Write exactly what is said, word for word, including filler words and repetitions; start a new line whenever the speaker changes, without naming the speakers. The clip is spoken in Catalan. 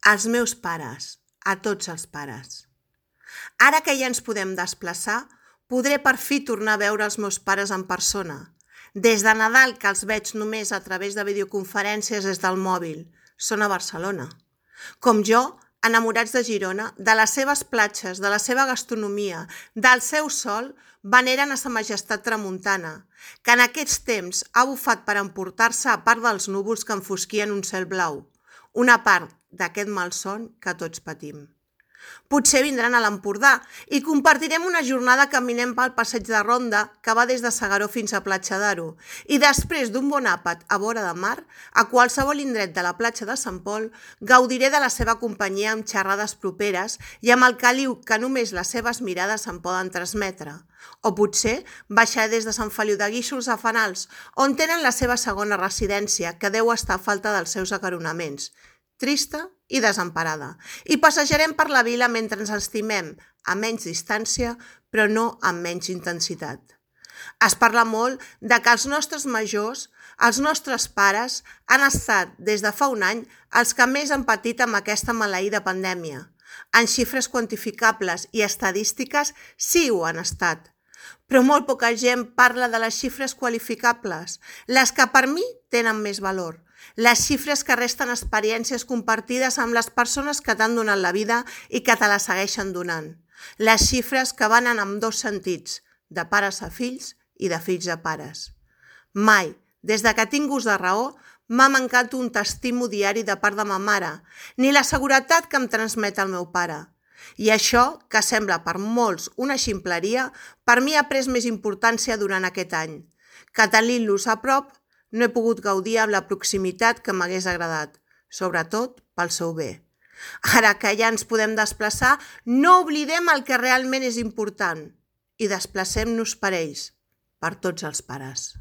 als meus pares, a tots els pares. Ara que ja ens podem desplaçar, podré per fi tornar a veure els meus pares en persona. Des de Nadal que els veig només a través de videoconferències des del mòbil. Són a Barcelona. Com jo, enamorats de Girona, de les seves platges, de la seva gastronomia, del seu sol, veneren a sa majestat tramuntana, que en aquests temps ha bufat per emportar-se a part dels núvols que enfosquien un cel blau, una part d'aquest malson que tots patim. Potser vindran a l'Empordà i compartirem una jornada caminant pel passeig de Ronda que va des de S'Agaró fins a Platja d'Aro i després d'un bon àpat a vora de mar, a qualsevol indret de la platja de Sant Pol, gaudiré de la seva companyia amb xerrades properes i amb el caliu que només les seves mirades em poden transmetre. O potser baixaré des de Sant Feliu de Guíxols a Fenals, on tenen la seva segona residència, que deu estar a falta dels seus acaronaments, trista i desemparada, i passejarem per la vila mentre ens estimem, a menys distància, però no amb menys intensitat. Es parla molt de que els nostres majors, els nostres pares, han estat, des de fa un any, els que més han patit amb aquesta maleïda pandèmia. En xifres quantificables i estadístiques sí ho han estat, però molt poca gent parla de les xifres qualificables, les que per mi tenen més valor. Les xifres que resten experiències compartides amb les persones que t'han donat la vida i que te la segueixen donant. Les xifres que van en ambdós sentits, de pares a fills i de fills a pares. Mai, des de que tinc ús de raó, m'ha mancat un t'estimo diari de part de ma mare, ni la seguretat que em transmet el meu pare. I això, que sembla per molts una ximpleria, per mi ha pres més importància durant aquest any, que tenint-los a prop no he pogut gaudir amb la proximitat que m'hagués agradat, sobretot pel seu bé. Ara que ja ens podem desplaçar, no oblidem el que realment és important i desplacem-nos per ells, per tots els pares.